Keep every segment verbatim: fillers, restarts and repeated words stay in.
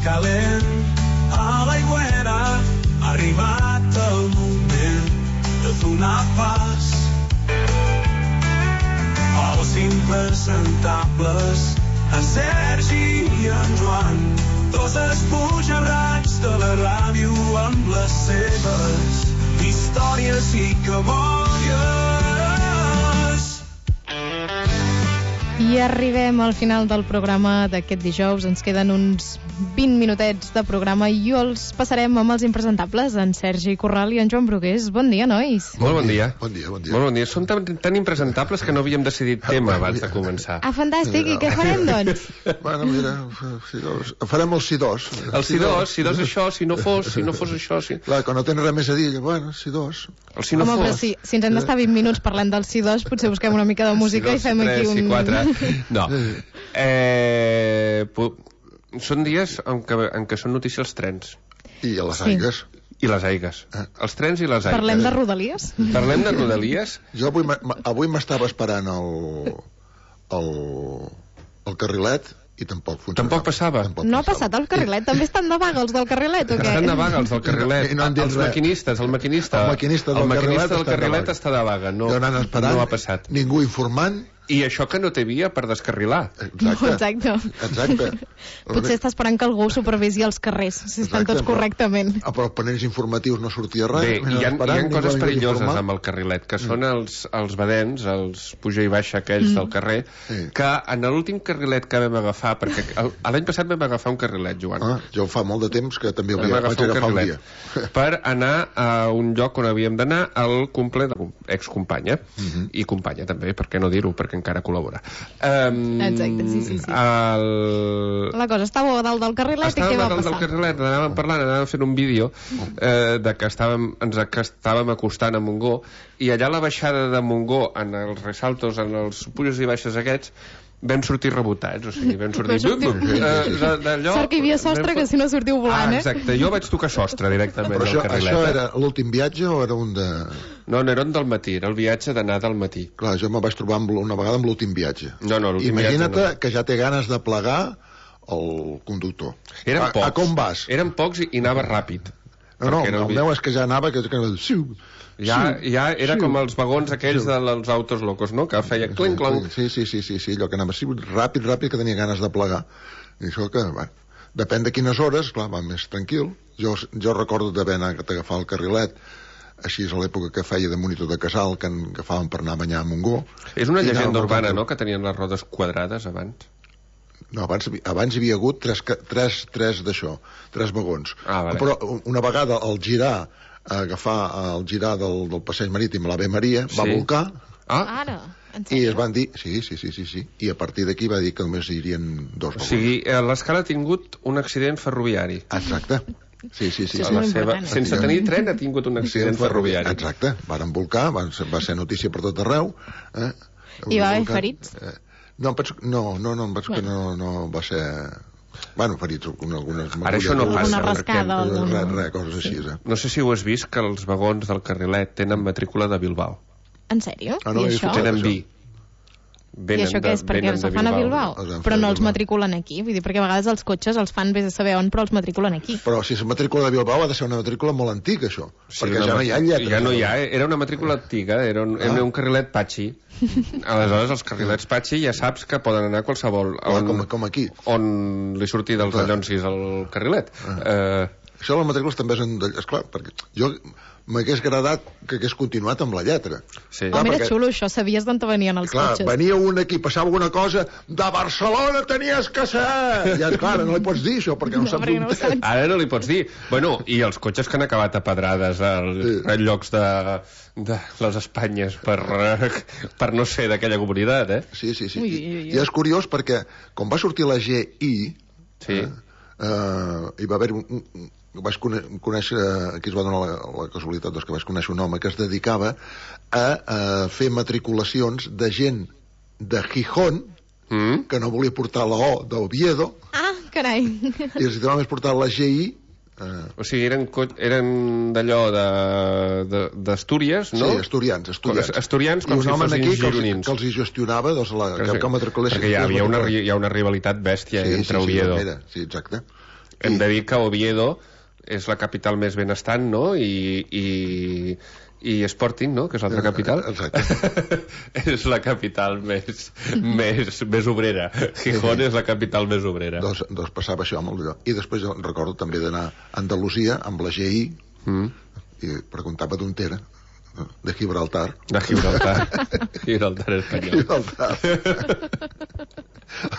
calent a l'aigüera. Ha arribat el moment de donar pas als impresentables, en Sergi i en Joan, dos espujarrats de la ràdio amb les seves històries i cabòries. I arribem al final del programa d'aquest dijous. Ens queden uns vint minutets de programa i els passarem amb els impresentables, en Sergi Corral i en Joan Brugués. Bon dia, nois. Molt bon dia. Bon dia, bon dia. Molt bon dia. Són tan, tan impresentables que no havíem decidit tema abans de començar. Ah, fantàstic. I què farem, doncs? Bueno, mira, si dos, farem el si dos. El si dos, si dos això, si no fos, si no fos això... Si... Clar, quan no tens res més a dir, bueno, si dos. El si no Home, fos... però si, si ens hem d'estar vint minuts parlant del si dos, potser busquem una mica de música si dos, i fem tres, aquí un... Si quatre... No. Eh, són dies en què, en què són notícia els trens. I a les Sí. aigues. I les aigues. Eh. Els trens i les aigues. Parlem de rodalies? Parlem de rodalies. Jo avui, m- avui m'estava esperant el, el, el carrilet i tampoc funcionava. Tampoc passava? Tampoc No ha passat el carrilet? També estan de vaga els del carrilet, o què? Estan de vaga els del carrilet. I no han dit els res. maquinistes, el maquinista. El maquinista del el maquinista carrilet del està de carrilet vaga. està de vaga. No, Jo anant esperant, no ha passat. ningú informant. I això que no té via per descarrilar. Exacte. Exacte. Exacte. Potser està esperant que algú supervisi els carrers, si estan tots correctament. Ah, però els panells informatius no sortia res. Bé, hi ha, hi ha coses perilloses amb amb el carrilet, que són els, els badens, els puja i baixa aquells mm. del carrer, Sí. que en l'últim carrilet que vam agafar, perquè el- l'any passat vam agafar un carrilet, Joan. Ah, jo fa molt de temps que també Vam vaig agafar un agafar un dia. carrilet per anar a un lloc on havíem d'anar al cumple de excompanya Mhm. i companya també, per què no dir-ho, perquè encara col·labora. Um, Exacte, sí, sí, sí. El... La cosa estava a dalt del carrilet i què va Estàvem a dalt del passar? carrilet, anàvem parlant, anàvem fent un vídeo eh, de que estàvem, ens que estàvem acostant a Montgó, i allà a la baixada de Montgó, en els ressaltos, en els pujos i baixes aquests, vam sortir rebotats, o sigui, vam sortir... Vam sortir- Bum, bum, eh, de- d'allò- Sort que hi havia sostre, que si no sortiu volant, ah, eh? exacte, jo vaig tocar sostre directament Però del això, carrilet. això eh? era l'últim viatge o era un de... No, no era un del matí, era el viatge d'anar del matí. Clar, jo me vaig trobar amb, l- una vegada amb l'últim viatge. No, no, l'últim Imagina't viatge no. que ja té ganes de plegar el conductor. Eren a, pocs. a com vas? Eren pocs i, i anava ràpid. No, no, Perquè era el vi- meu és que ja anava... Que, que, siu, Ja, siu, ja era siu. com els vagons aquells Sí. dels autos locos, no? Que feia clenc, clenc. Sí, sí, sí, sí, sí, allò que anava siu, ràpid, ràpid, que tenia ganes de plegar. I això que, bueno, depèn de quines hores, clar, va més tranquil. Jo, jo recordo d'haver anat a agafar el carrilet, així és a l'època que feia de monitor de casal, que en agafàvem per anar a banyar a Montgó. És una I llegenda anàvem urbana, molt no?, que tenien les rodes quadrades abans. No, abans, abans hi havia hagut tres, ca- tres, tres d'això, tres vagons. Ah, vale. Però una vegada al girar, a agafar el girar del, del passeig marítim a l'Ave Maria, va Sí. volcar Ah, Ara, en i sèrio? es van dir... Sí, sí, sí, sí, sí. I a partir d'aquí va dir que només hi irien dos o vagons. sigui, eh, l'escala ha tingut un accident ferroviari. Exacte. Sí, sí, sí. Això és sí. La molt seva, important, eh? sense tenir tren ha tingut un accident ferroviari. Exacte. Varen volcar, van ser, va ser notícia per tot arreu. Eh? I va haver Volcar. ferits? Eh, no, em penso, no, no, no, em penso que no, no va ser... Bueno, ferits, algunes... Ara això no passa, Alguna rascada, Res, alguna... res, res, coses així, eh? No sé si ho has vist, que els vagons del carrilet tenen matrícula de Bilbao. En sèrio? Ah, no, I he això? fixat. Tenen això. vi. I Venen això què és? de- Perquè venen els de fan a Bilbao? Els han Però fet no a els Bilbao. matriculen aquí. Vull dir, perquè a vegades els cotxes els fan vés a saber on, però els matriculen aquí. Però si és matrícula de Bilbao ha de ser una matrícula molt antiga, això. Sí, perquè una ja no hi ha lletres. Ja no hi ha, eh? Era una matrícula antiga, era un, era Ah. un carrilet patxi. Aleshores, els carrilets patxi ja saps que poden anar a qualsevol... Clar, On, com, com aquí. on li surti dels Clar. allonsis el carrilet. Ah. Eh, Això les matrícules també són... De... Esclar, perquè jo m'hagués agradat que hagués continuat amb la lletra. sí. Home, era perquè- xulo, això. Sabies d'on te venien els Clar, cotxes. venia un aquí, passava alguna cosa, de Barcelona tenies que ser! Ja, clar, no li pots dir això, perquè no, No, saps perquè on no ho és. saps. Ara no li pots dir. Bueno, i els cotxes que han acabat a pedrades als Sí. sí. llocs de, de les Espanyes per, eh, per no ser d'aquella comunitat, eh? Sí, sí, sí. Ui, I, ui, ui. I és curiós perquè, com va sortir la G I, Sí. eh, eh, hi va haver un, un, vaig cone conèixer, aquí es va donar la, la casualitat doncs, que vaig conèixer un home que es dedicava a, a fer matriculacions de gent de Gijón Mm? que no volia portar la O d'Oviedo Ah, carai. i els va més portar la G I eh, O sigui, eren, co- eren d'allò d'Astúries, no? sí, asturians, asturians. Asturians, com I un si home fossin aquí que els, gironins. que els hi gestionava doncs, la, que, que matriculessin. Perquè hi ha, hi, ha una, ri- hi ha una rivalitat bèstia sí, entre sí, Oviedo. Sí, era, sí, exacte. Hem de dir que Oviedo és la capital més benestant, no? I, i, i Sporting, no? Que és l'altra capital. Exacte. És la capital més, més, més obrera. Gijón és la capital més obrera. Doncs, doncs passava això amb el... I després jo recordo també d'anar a Andalusia amb la G I mm. i preguntava d'on era, de Gibraltar. De Gibraltar. Gibraltar espanyol. Gibraltar.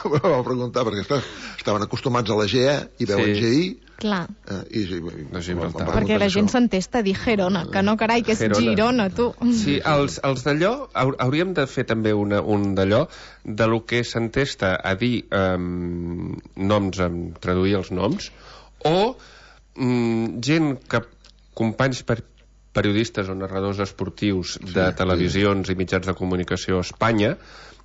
Vam preguntar perquè esclar, estaven acostumats a la G E i veuen Sí. G I. Clar. Eh, i, i, i, Gibraltar. Perquè la gent s'entesta a dir Gerona, que no, carai, que és Gerona. Girona, tu. Sí, els, els d'allò, hau- hauríem de fer també una, un d'allò, de lo que s'entesta a dir um, noms, um, traduir els noms, o um, gent que, companys per, periodistes o narradors esportius de Sí, televisions i mitjans de comunicació a Espanya,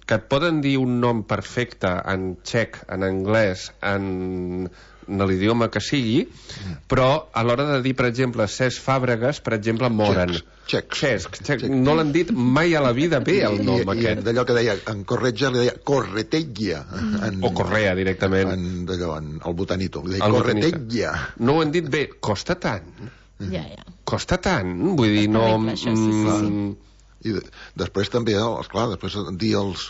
que et poden dir un nom perfecte en txec, en anglès, en, en l'idioma que sigui, però a l'hora de dir, per exemple, Cesc Fàbregas, per exemple, moren. Txecs. Cesc, Cesc. No l'han dit mai a la vida bé, el nom I, i aquest. d'allò que deia, en Corretja li deia Correteggia. En, O Correa, directament. En, d'allò, en el botanito. Li deia El botanista. Correteggia. No ho han dit bé. Costa tant. Ja, ja. Costa tant. Vull dir, no... terrible, això, sí, sí, sí. mm, I de, després també, esclar, després dir els,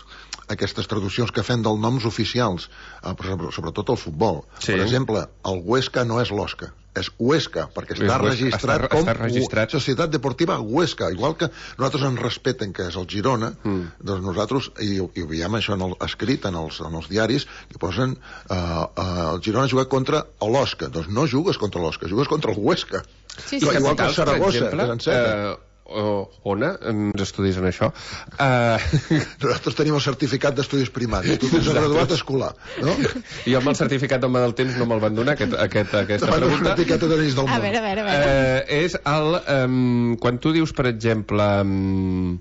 aquestes traduccions que fem dels noms oficials, eh, però sobretot el futbol. Sí. Per exemple, el Huesca no és l'Osca, és Huesca, perquè És està Huesca, registrat està- com està registrat. Societat Deportiva Huesca. Igual que nosaltres ens respeten que és el Girona, Mm. doncs nosaltres, i, i ho veiem això en el, escrit en els, en els diaris, que posen eh, eh, el Girona juga contra l'Osca. Doncs no jugues contra l'Osca, jugues contra el Huesca. Sí, I sí, igual que el capitals, per Saragossa, exemple, és en seta. eh, o, Ona, ens estudis en això. Eh, Nosaltres tenim el certificat d'estudis primaris. Tu tens el graduat escolar, no? jo amb el certificat d'home del temps no me'l van donar, aquest, aquest, aquesta Demano una pregunta. etiqueta d'anells del A món. veure, a veure, a veure. Eh, és el... Um, quan tu dius, per exemple, um,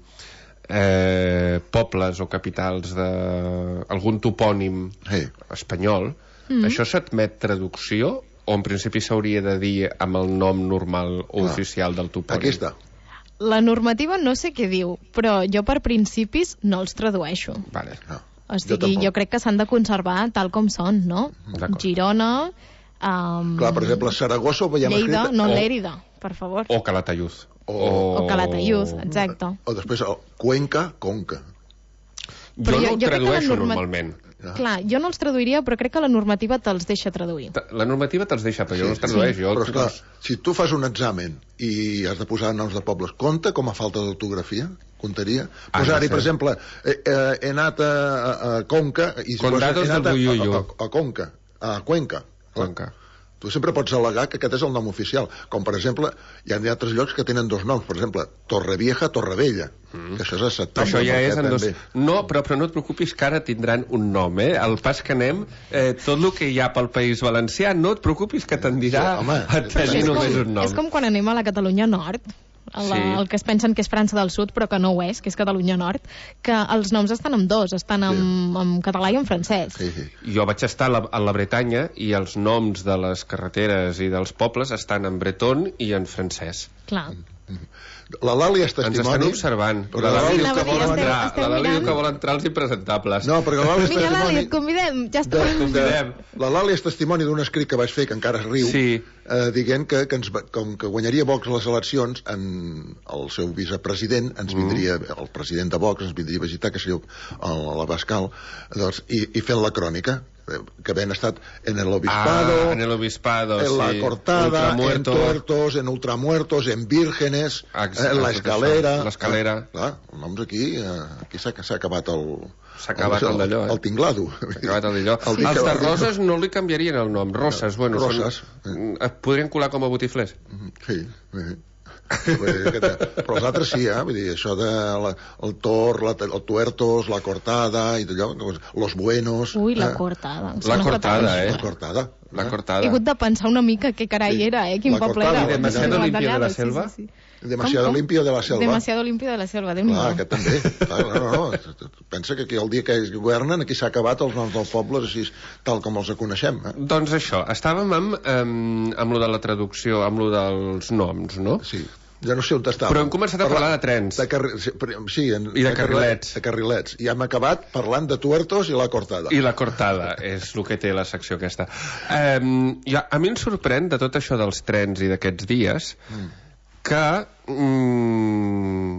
eh, pobles o capitals d'algun topònim Sí. espanyol, mm. això s'admet traducció o en principi s'hauria de dir amb el nom normal o Clar. oficial del topònim? Aquí està. La normativa no sé què diu, però jo per principis no els tradueixo. Vale. No. O sigui, tampoc. jo, crec que s'han de conservar tal com són, no? D'acord. Girona, um, Clar, per exemple, Saragossa ho veiem Lleida, escrit... no o- Lèrida, per favor. O Calatayud. O- O Calatayud, exacte. O després el Cuenca, Conca. Jo, Però no jo- ho jo crec que la tradueixo norma- normalment. Ja. Clar, jo no els traduiria, però crec que la normativa te'ls deixa traduir. La normativa te'ls deixa, però jo no els Sí. tradueix. Jo, Però, esclar, si tu fas un examen i has de posar noms de pobles, compta com a falta d'ortografia? Comptaria? Ah, Posar-hi, no sé. per exemple, eh, eh, he anat a, a, a Conca... I si Condados poses, he anat del Buyuyu. a, a, a Conca, a Cuenca. Cuenca. Tu sempre pots al·legar que aquest és el nom oficial. Com, per exemple, hi ha altres llocs que tenen dos noms. Per exemple, Torrevieja, Torrevella. Mm. Que això és acceptable. Això ja és perquè en dos... també- No, però, però no et preocupis que ara tindran un nom, eh? El pas que anem, eh, tot el que hi ha pel País Valencià, no et preocupis que tendirà Sí, home, a tenir és, només com, un nom. és com quan anem a la Catalunya Nord, a la, Sí. el que es pensen que és França del Sud, però que no ho és, que és Catalunya Nord, que els noms estan en dos, estan en, en català i en francès. Sí, sí. Jo vaig estar a la, a la Bretanya i els noms de les carreteres i dels pobles estan en breton i en francès. Clar. La Lali és Ens estan testimoni... observant. Però La Lali Sí, diu anava que a dir, vol estem- entrar. estem La Lali diu mirant. que vol entrar als impresentables. No, perquè la Lali és Vinga, Lali, testimoni... et convidem, ja està. de, de, Convidem. la Lali és testimoni d'un escrit que vaig fer, que encara es riu, Sí. eh, dient que, que ens, va- com que guanyaria Vox les eleccions, en el seu vicepresident ens vindria, el president de Vox ens vindria a visitar, que seria el- l'Abascal, doncs, i, i fent la crònica, eh, que havien estat en el Obispado, Ah, en el Obispado, en la sí. Cortada, en Ultramuerto. Tuertos, en Ultramuertos, en Vírgenes, Exacte, en la tot Escalera. això, l'Escalera. Ah, clar, els noms aquí, eh, aquí s'ha s'ha acabat el... S'ha acabat el d'allò, eh? El tinglado. S'ha acabat el d'allò. El Els que- de Roses no li canviarien el nom. Roses, bueno, Roses. són... Es podrien colar com a botiflers. Sí, sí. Vull dir que te- però els altres sí, eh? Vull dir, això de la, el Tor, la, el Tuertos, la Cortada i tot allò, doncs, los Buenos... Ui, la eh? cortada. em La sona cortada, fatal. eh? La Cortada. La eh? cortada. He hagut de pensar una mica què carai Sí. era, eh? Quin La poble cortada era. i Demasiado Sí, limpio de la sí, selva. sí, sí. Demasiado Com, com? limpio de la selva. Demasiado limpio de la selva, déu nhi Clar, aquest també. Clar, no, no, no. Pensa que aquí el dia que ells governen, aquí s'ha acabat els noms dels pobles així, tal com els coneixem. Eh? Doncs això, estàvem amb, amb, amb lo de la traducció, amb lo dels noms, no? Sí. Ja no sé on estava. Però hem començat a parlar de trens. De carri... Sí, en... I de carrilets. De carrilets. I hem acabat parlant de tuertos i la cortada. I la cortada, és el que té la secció aquesta. Um, ja, a mi em sorprèn de tot això dels trens i d'aquests dies mm. que mm,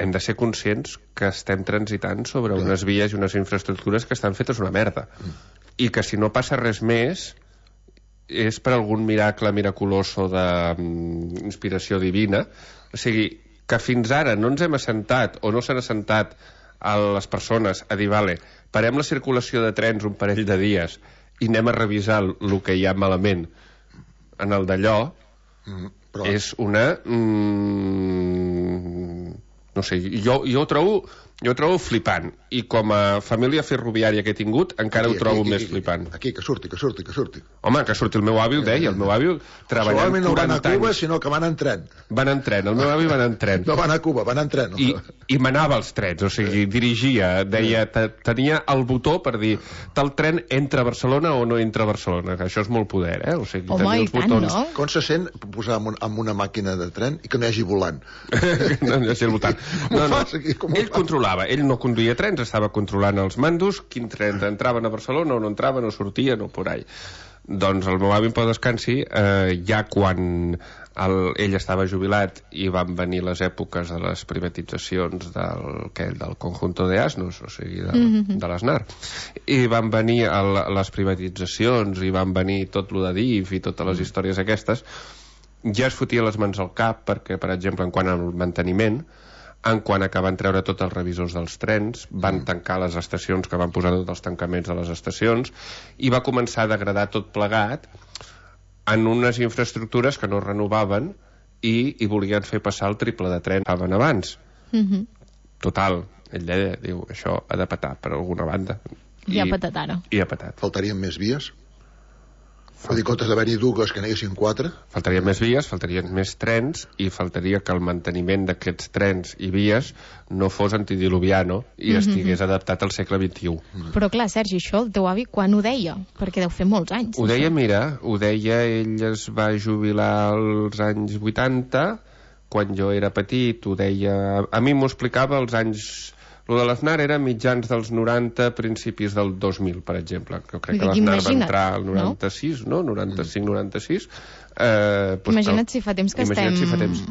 hem de ser conscients que estem transitant sobre Clar. unes vies i unes infraestructures que estan fetes una merda. Mm. I que si no passa res més és per algun miracle miraculoso d'inspiració divina. O sigui, que fins ara no ens hem assentat o no s'han assentat a les persones a dir, vale, parem la circulació de trens un parell de dies i anem a revisar el que hi ha malament en el d'allò, mm, però... és una... Mm, no sé, jo, jo ho trobo... Jo ho trobo flipant, i com a família ferroviària que he tingut, encara aquí, ho trobo aquí, aquí, més aquí, flipant. Aquí, que surti, que surti, que surti. Home, que surti el meu avi, ho deia, el meu avi treballant no quaranta anys. No van a Cuba, anys. sinó que van en tren. Van en tren, el meu avi van en tren. No van a Cuba, van en tren. I, i manava els trens, o sigui, dirigia, deia, tenia el botó per dir, tal tren entra a Barcelona o no entra a Barcelona, que això és molt poder, eh? O sigui, home, i tant, botons... no? Com se sent posar en, un, en una màquina de tren i que no hi hagi volant? No hi hagi el volant. No, no. Ell controlava, ell no conduïa trens, estava controlant els mandos, quins trens entraven a Barcelona o no entraven o sortien o por ahí. Doncs el meu avi en pau descansi, eh, ja quan el, ell estava jubilat i van venir les èpoques de les privatitzacions del, que, del conjunto de asnos, o sigui, de, mm-hmm. de l'Asnar, i van venir el, les privatitzacions i van venir tot lo de D I F i totes les històries aquestes, ja es fotia les mans al cap perquè, per exemple, en quant al manteniment, en quan acaben treure tots els revisors dels trens, van mm. tancar les estacions, que van posar tots els tancaments de les estacions, i va començar a degradar tot plegat en unes infraestructures que no renovaven i, i volien fer passar el triple de tren que estaven abans. Mm-hmm. Total, ell deia, diu, això ha de petar per alguna banda. I, I ha petat ara. I ha petat. Faltarien més vies? Vull dir, comptes d'haver-hi dues, que n'hi quatre? Faltarien més vies, faltarien més trens, i faltaria que el manteniment d'aquests trens i vies no fos antidiluviano i mm-hmm. estigués adaptat al segle vint-i-u. Mm. Però clar, Sergi, això el teu avi quan ho deia? Perquè deu fer molts anys. Ho això. deia, mira, ho deia, ell es va jubilar als anys vuitanta, quan jo era petit, ho deia... A mi m'ho explicava als anys... Lo de l'Aznar era mitjans dels noranta, principis del dos mil, per exemple. Jo crec que l'Aznar va entrar al noranta-sis, no? noranta-cinc noranta-sis. Eh, doncs imagina't si fa temps que estem... Si fa temps...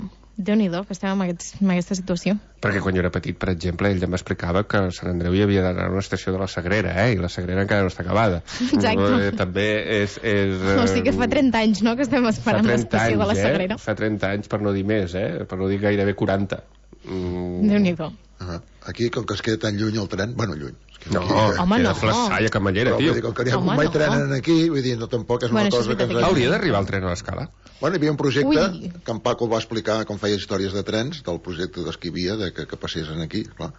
Déu-n'hi-do, que estem en, aquests, en aquesta situació. Perquè quan jo era petit, per exemple, ell ja m'explicava que a Sant Andreu hi havia d'anar a una estació de la Sagrera, eh? I la Sagrera encara no està acabada. Exacte. Eh, també és... és eh... O sigui que fa trenta anys, no?, que estem esperant l'estació de la Sagrera. Eh? Fa trenta anys, per no dir més, eh? Per no dir gairebé quaranta. Mm. Déu-n'hi-do. Uh-huh. Aquí, com que es queda tan lluny el tren, bueno, lluny. No, aquí, home, queda no. Flaçalla, Camallera, tio. Com que n'hi ha un mai tren aquí, vull dir, no, tampoc és bueno, una cosa que... que... Hauria d'arribar el tren a l'Escala. Bueno, hi havia un projecte, Ui. que en Paco va explicar com feia històries de trens, del projecte d'Esquivia, de que, que passessin aquí, clar.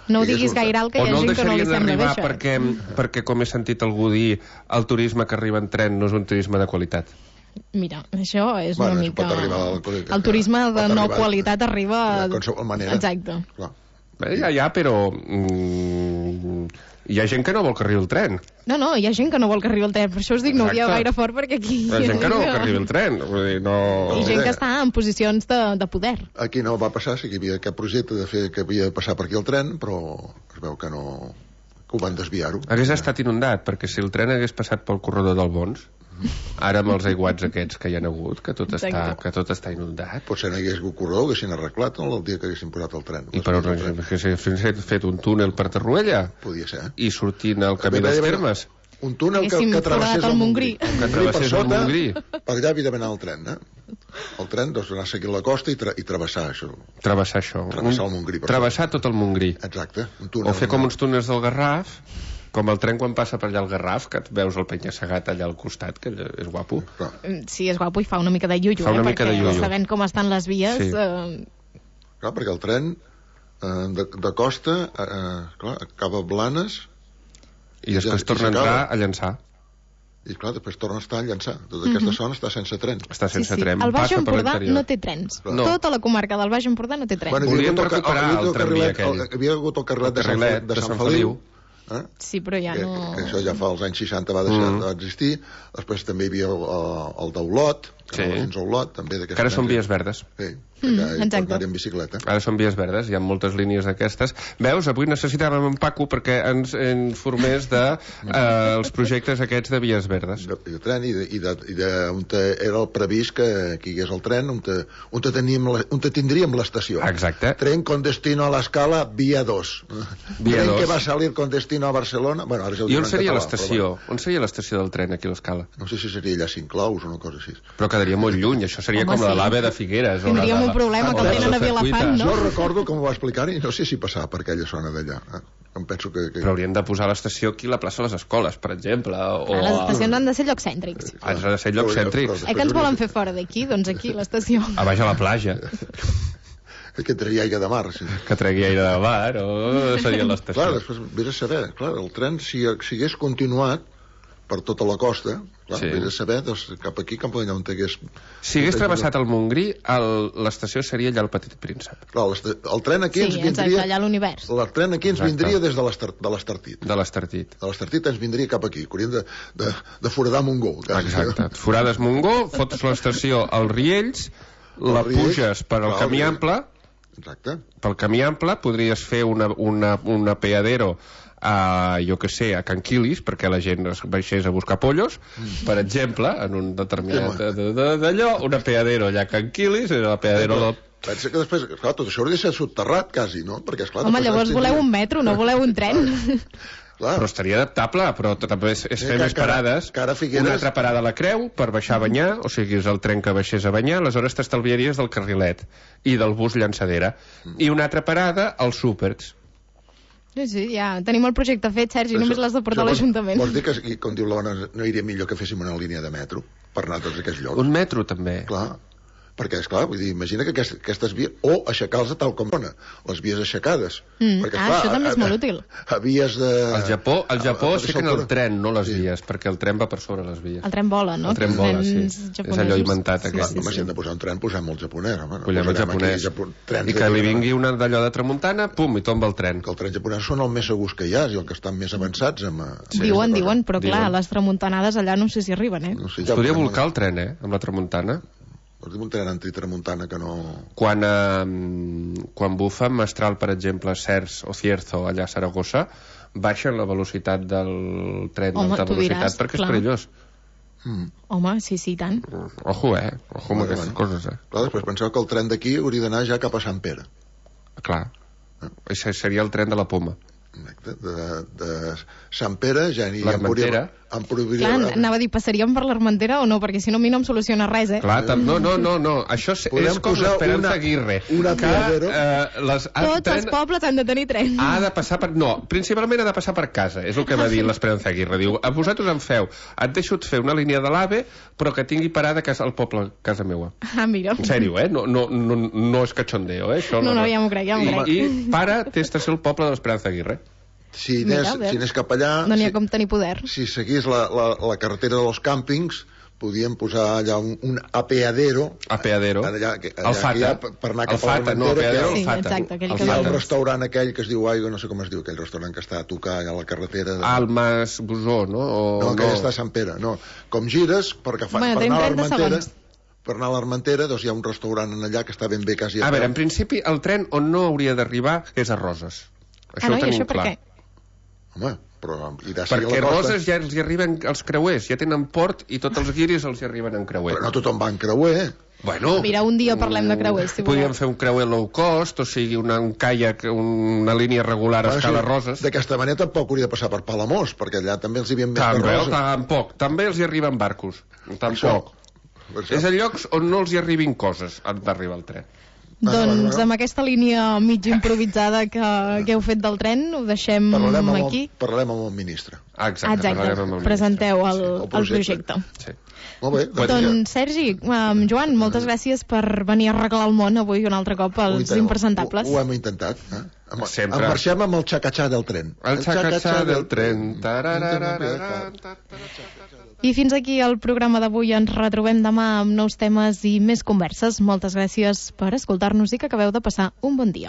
No ho diguis gaire alt, que hi ha gent que no li sembla bé, això. Perquè, perquè, com he sentit algú dir, el turisme que arriba en tren no és un turisme de qualitat. Mira, això és bueno, una mica... Al... El turisme de no qualitat arriba... De qualsevol manera. Exacte. Clar. Bé, ja, ja, però... Mm, hi ha gent que no vol que arribi el tren. No, no, hi ha gent que no vol que arribi el tren. Per això us dic, no ho dieu gaire fort, perquè aquí... Hi ha gent que no vol que arribi el tren. Vull dir, no... I gent que està en posicions de, de poder. Aquí no va passar, sí que hi havia aquest projecte de fer que havia de passar per aquí el tren, però es veu que no... que ho van desviar-ho. Hagués estat inundat, perquè si el tren hagués passat pel corredor del Bons, ara amb els aiguats aquests que hi ha hagut, que tot, està, que tot està inundat. Potser no hi hagués hagut corredor, haguessin arreglat el dia que haguessin posat el tren. I per on haguessin fet un túnel per Tarruella? Podia ser. I sortint al camí dels Termes? Un túnel que, que travessés el Montgrí. Que travessés el Montgrí. Per allà havia d'anar el tren, eh? El tren, doncs, anar seguint la costa i, tra i travessar això. Travessar això. Travessar el Montgrí. Travessar tot el Montgrí. Exacte. Un túnel, o fer com uns túnels del Garraf, com el tren quan passa per allà al Garraf, que et veus el penya-segat allà al costat, que és guapo. Sí, és guapo i fa una mica de iuiu, fa una eh? mica perquè de iuiu. Sabent com estan les vies... Sí. Eh... Clar, perquè el tren eh, de, de costa eh, clar, acaba a Blanes i després ja, torna a entrar a Llançà. I clar, després torna a estar a Llançà. Tota aquesta mm -hmm. zona està sense tren. Està sense sí, sí. tren. El Baix Empordà no té trens. No. Tota la comarca del Baix Empordà no té trens. Bueno, volíem recuperar el, el, el tramvia aquell. Hi havia hagut el carrilet, el carrilet de, Sant, de, de Sant Feliu. Eh? Sí, però ja no... Que, que això ja fa els anys seixanta va deixar mm. d'existir. Després també hi havia el, el d'Olot, que sí. Fins a Olot, també d'aquesta... Que ara són vies verdes. Sí, que mm, hi pot anar en bicicleta. Ara són vies verdes, hi ha moltes línies d'aquestes. Veus, avui necessitàvem en Paco perquè ens informés de eh, els projectes aquests de vies verdes. De, de tren i de, i de, i de on te era el previst que, que hi hagués el tren, on te, on te, teníem, on te tindríem l'estació. Exacte. Tren con destino a l'Escala, via dos. Via tren dos. que va salir con destino a Barcelona... Bueno, ara ja I on seria l'estació? On seria l'estació del tren aquí a l'Escala? No sé si seria allà a Cinclaus o una cosa així. Però quedaria molt lluny, això seria Home, com la sí. de l'AVE de Figueres. Tindríem o la, un problema, que el tenen a Vilafant, no? Jo recordo com ho va explicar i no sé si passava per aquella zona d'allà. Eh? Em penso que, que... Però haurien de posar l'estació aquí a la plaça de les Escoles, per exemple. O Les a... estacions han de ser llocs cèntrics. Han de ser llocs cèntrics. Eh que ens volen fer fora d'aquí? Doncs aquí, l'estació. A baix a la platja. que tregui aigua de mar, sí. Que tregui aire de mar, o seria l'estació. Clar, després vés a saber, clar, el tren, si, si hagués continuat per tota la costa, clar, sí. Vés a saber, doncs, cap aquí, cap allà on hagués... Si hagués travessat el Montgrí, l'estació seria allà el Petit Príncep. Clar, el tren aquí sí, ens vindria... Sí, allà a l'univers. El tren aquí ens Exacte. vindria des de l'Estartit. De l'Estartit. De l'Estartit ens vindria cap aquí, que hauríem de, de, de foradar Montgó. Quasi. Exacte. Forades Montgó, fots l'estació als Riells, la Riells, puges per al clar, camí ample. Exacte. Pel camí ample podries fer una, una, una peadero a, jo que sé, a Can Quilis, perquè la gent es baixés a buscar pollos, mm. per exemple, en un determinat d'allò, una peadero allà a Can Quilis, la peadero del... Pensa que després, clar, tot això hauria de ser soterrat, quasi, no? Perquè, esclar, home, llavors voleu un metro, no voleu un tren. Clar. Però estaria adaptable, però també és, és fer que, més parades. Cara, cara Figueres... Una altra parada a la Creu per baixar a banyar, o sigui, és el tren que baixés a banyar, aleshores t'estalviaries del carrilet i del bus llançadera. Mm. I una altra parada als súpers. Sí, sí, ja tenim el projecte fet, Sergi, només l'has de portar a l'Ajuntament. Vols dir que, com diu l'Ona, no iria millor que féssim una línia de metro per anar a tots aquests llocs? Un metro, també. Clar. Perquè, esclar, vull dir, imagina que aquestes, aquestes vies... O aixecar-los tal com dona, les vies aixecades. Mm. Perquè, ah, clar, això també és a, molt útil. A, a vies de... Al Japó, al Japó a, a, aixequen el tren, no les sí. vies, perquè el tren va per sobre les vies. El tren vola, no? El tren vola, sí. És allò inventat, sí, aquest. Sí, sí, sí. si hem de posar un tren, posem el japonès. Home, no posem el japonès. Aquí, I que li vingui una d'allò de tramuntana, pum, i tomba el tren. Que el tren japonès són els més segurs que hi ha, i els que estan més avançats. Amb, sí. Diuen, diuen, però clar, diuen. Les tramuntanades allà no sé si arriben, eh? No sé, es podria volcar el tren, eh, amb la tramuntana. Vols dir un tren antitramuntana que no... Quan, eh, quan bufa Mestral, per exemple, Cers o Cierzo, allà a Saragossa, baixen la velocitat del tren d'alta velocitat diràs, perquè clar. És perillós. Mm. Home, sí, sí, tant. Ojo, eh? Ojo amb aquestes coses, eh? Clar, després penseu que el tren d'aquí hauria d'anar ja cap a Sant Pere. Clar. Eh? Això seria el tren de la Poma. De, de, de Sant Pere ja n'hi l'Armentera. Clar, anava a dir, passaríem per l'Armentera o no? Perquè si no, a mi no em soluciona res, eh? Clar, no, no, no, no. Això és, és com l'Esperanza Aguirre. Una que, eh, les, Tots tren, els pobles han de tenir tren. Ha de passar per... No, principalment ha de passar per casa. És el que va dir l'Esperanza Aguirre. Diu, a vosaltres em feu, et deixo fer una línia de l'AVE, però que tingui parada casa, al poble, casa meua. Ah, mira. En sèrio, eh? No, no, no, no és cachondeo, eh? Això no, no, no, ja m'ho crec, ja m'ho crec. I, I para, té estació el poble de l'Esperanza Aguirre. Si anés, Mira, si anés cap allà... No n'hi ha si, com tenir poder. Si seguís la, la, la carretera dels càmpings, podíem posar allà un, un apeadero... Apeadero. Allà, allà, el Fata. Per anar cap el Fata, a no, apeadero, sí, el Fata. Exacte, aquell el que hi ha el restaurant aquell que es diu Aigua, no sé com es diu, aquell restaurant que està a tocar allà a la carretera... De... Al Mas Busó, no? O... No, aquell no. Està a Sant Pere, no. Com gires, perquè fa, bueno, per anar a l'Armentera... Per anar a l'Armentera, doncs hi ha un restaurant allà que està ben bé quasi a A veure, en principi, el tren on no hauria d'arribar és a Roses. Això ah, no, ho tenim això clar. Per què? Home, però... Perquè a Roses ja els hi arriben els creuers, ja tenen port i tots els guiris els hi arriben en creuer. Però no tothom va en creuer. Bueno, mira, un dia parlem de creuers, si podríem fer un creuer low cost, o sigui, una, un kayak, una línia regular a escala sí, Roses. D'aquesta manera tampoc hauria de passar per Palamós, perquè allà també els hi havien més també, per Roses. Tampoc, també els hi arriben barcos. Tampoc. És a llocs on no els hi arribin coses, han d'arribar el tren. Doncs amb aquesta línia mig improvisada que, que heu fet del tren, ho deixem parlarem aquí. El, parlarem amb el ministre. Exacte, Exacte. Amb el presenteu el, el projecte. el projecte. Sí. Molt bé. Doncs, doncs Sergi, um, Joan, moltes gràcies per venir a arreglar el món avui un altre cop als ho impresentables. Ho, ho hem intentat. Eh? Amb, Sempre. Em marxem amb el xacatxà del tren. El xacatxà del tren. I fins aquí el programa d'avui. Ens retrobem demà amb nous temes i més converses. Moltes gràcies per escoltar-nos i que acabeu de passar un bon dia.